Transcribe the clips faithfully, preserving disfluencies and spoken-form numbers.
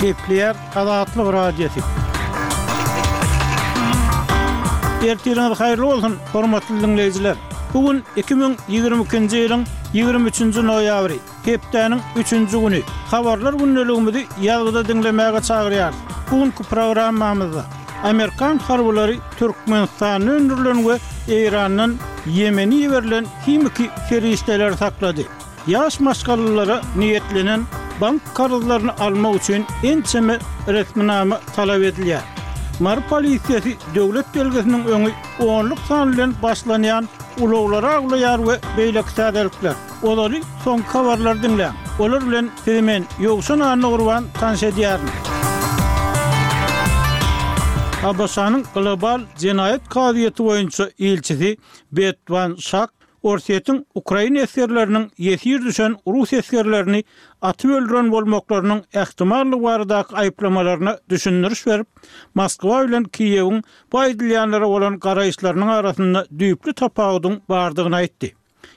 Gepleýär Azatlyk Radiosy. Ertiriňiz haýyrly bolsun, hormatly diňleýjiler! Bu gün iki müň ýigrimi ikinji ýylyň ýigrimi üçünji noýabry, hepdäniň üçünji güni. Habarlar gündeligimizi ýazgyda diňlemäge çagyrýarys. Bu günki programmamyzda amerikan harbylary Türkmenistanda öndürilen we Eýrandan Ýemene iberilen himiki serişdeleri saklady. Ýaş maşgalalara niýetlenen bank karzlaryny almak üçin ençeme resminama talap edilýär. Mary polisiýasy döwlet belgisiniň öňi onluk san bilen başlanýan ulaglary awlaýar we beýleki täzelikler. Ozaly soňky habarlary diňläň. Olar bilen sizi men, Ýowşan Annagurban tanyş edýärin. ABŞ-nyň Global jenaýat kazyýeti boýunça ilçisi Bet Wan Şak Orsýetiň ukrain esgerleriniň ýesir düşen rus esgerlerini atyp öldüren bolmaklarynyň ähtimallygy baradaky aýyplamalaryna düşündiriş berip, Moskwa bilen Kiýewiň bu aýdylýanlara bolan garaýyşlarynyň arasynda düýpli tapawudyň bardygyny aýtdy.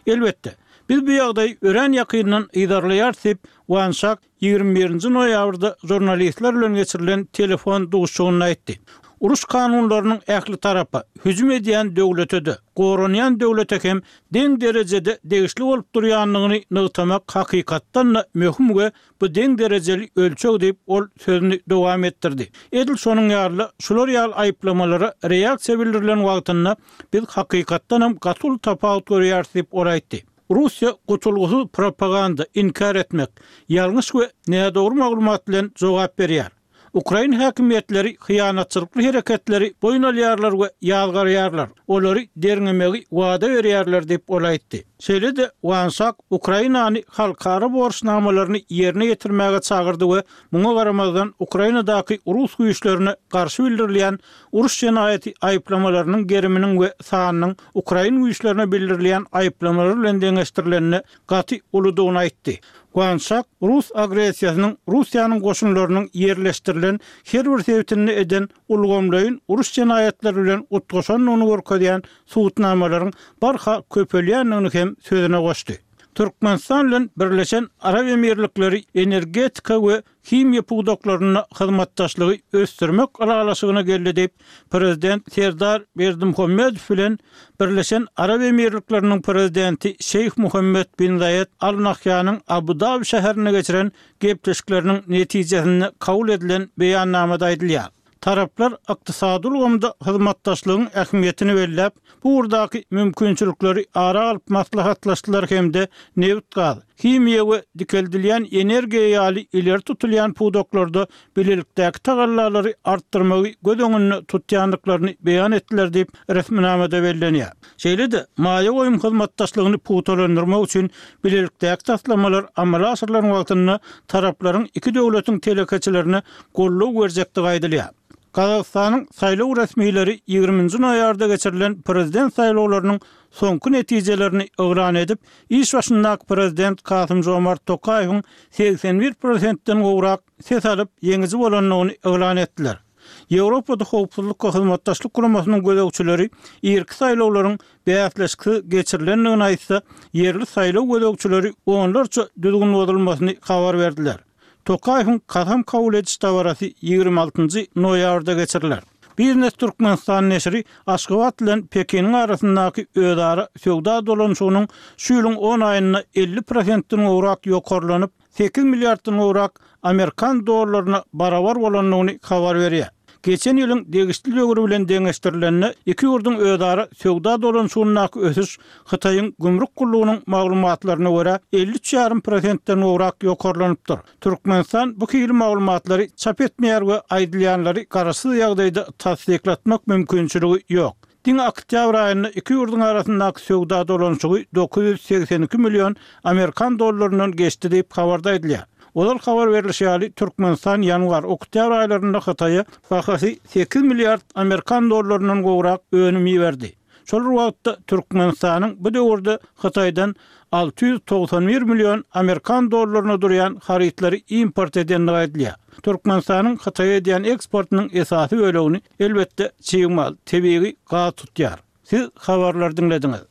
Elbetde, biz bu ýagdaýy örän ýakyndan yzarlaýarys diýip, Wan Şak ýigrimi birinji noýabrda žurnalistler bilen geçirilen telefon duşuşygynda aýtdy. Uruş kanunlarynyň ähli tarapa, hüjüm edýän döwlete-de, goranýan döwlete hem deň derejede degişli bolup durýandygyny nygtamak hakykatdan-da möhüm we bu deň derejeli ölçeg diýip, ol sözüni dowam etdirdi. Edil şonuň ýaly-da, şular ýaly aýyplamalara reaksiýa bildirilen wagtynda biz hakykatdanam gaty uly tapawut görýäris diýip, ol aýtdy. Russiýa gutulgysyz propaganda, inkär etmek, ýalňyş we nädogry maglumat bilen jogap berýär. Ukrain häkimiýetleri hyýanatçylykly hereketleri boýun alýarlar we ýazgarýarlar, olary derňemegi wada berýärler diýip, ol aýtdy. Şeýle-de Wansak Ukrainany halkara borçnamalaryny ýerine ýetirmäge çagyrdy we muňa garamazdan Ukrainadaky rus güýçlerine garşy bildirilýän uruş jenaýaty aýyplamalarynyň geriminiň we sanynyň ukrain güýçlerine bildirilýän aýyplamalar bilen deňeşdirilende gaty uludygyny aýtdy. Wansak rus agressiýasynyň Russiýanyň goşunlarynyň ýerleşdirilen her bir sebitinde eden ulgamlaýyn uruş jenaýatlary bilen utgaşandygyny görkezýän subutnamalaryň barha köpelýändigini hem sözüne goşdy. Türkmenistan bilen Birleşen Arap Emirlikleri energetika we himiýa pudaklarynda hyzmatdaşlygy ösdürmek ylalaşygyna geldi diýip, Prezident Serdar Berdimuhamedow bilen Birleşen Arap Emirlikleriniň Prezidenti Şeýh Muhammed bin Zaýed Al Nahýanyň Abu-Dabi şäherinde geçiren gepleşikleriniň netijesinde kabul edilen beýannamada aýdylýar. Taraplar ykdysady ulgamda hyzmatdaşlygyň ähmiýetini belläp, bu ugurdaky mümkinçilikleri ara alyp maslahatlaşdylar hem-de nebit-gaz, himiýa we dikeldilýän energiýa ýaly ileri tutulýan pudaklarda bilelikdäki tagallalary artdyrmagy göz öňünde tutýandyklaryny beýan etdiler diýip, resminamada bellenýär. Şeýle-de, maýa goýum hyzmatdaşlygyny pugtalandyrmak üçin bilelikdäki taslamalar amala aşyrylan wagtynda taraplaryň iki döwletiň telekeçilerine goldaw berjekdigi aýdylýar. Gazagystanyň saýlaw resmileri ýigriminji noýabrda geçirilen prezident saýlawlarynyň soňky netijelerini yglan edip, iş başyndaky prezident Kasym-Žomart Tokaýewiň segsen bir prosentden gowrak ses alyp, ýeňiji bolandygyny yglan etdiler. Ýewropada Howpsuzlyk we Hyzmatdaşlyk Guramasynyň gözegçileri irki saýlawlaryň bäsleşiksiz geçirilendigini aýtsa, ýerli saýlaw gözegçileri onlarça düzgün bozulmasyny habar berdiler. Tokaýewiň kasam kabul ediş dabarasy ýigrimi altynjy noýabrda geçiriler. Biznes Türkmenistan neşiri Aşgabat bilen Pekiniň arasyndaky özara söwda dolanyşygynyň şu ýylyň on aýynda elli prosentden gowrak ýokarlanyp, sekiz milliarddan gowrak amerikan dollaryna barabar bolandygyny habar berýär. Geçen ýylyň degişli döwri bilen deňeşdirilende, iki ýurduň özara söwda dolanyşygyndaky ösüş Hytaýyň gümrük gullugynyň maglumatlaryna görä, elli üç ýarym prosentden gowrak ýokarlanypdyr. Türkmenistan bu hili maglumatlary çap etmeýär we aýdylýanlary garaşsyz ýagdaýda tassyklatmak mümkinçiligi ýok. Diňe oktýabr aýynda iki ýurduň arasyndaky söwda dolanyşygy dokuz ýüz segsen iki million amerikan dollaryndan geçdi diýip, habarda aýdylýar. Ozal habar berlişi ýaly, Türkmenistan ýanwar, oktýabr aýlarynda Hytaýa bahasy sekiz milliard amerikan dollaryndan gowrak önüm iberdi. Şol bir wagtda, Türkmenistanyň bu döwürde Hytaýdan alty ýüz togsan bir million amerikan dollaryna durýan harytlary import edendigi aýdylýar. Türkmenistanyň Hytaýa edýän eksportynyň esasy bölegini, elbetde, çig mal, tebigy gaz tutýar. Siz habarlary diňlediňiz.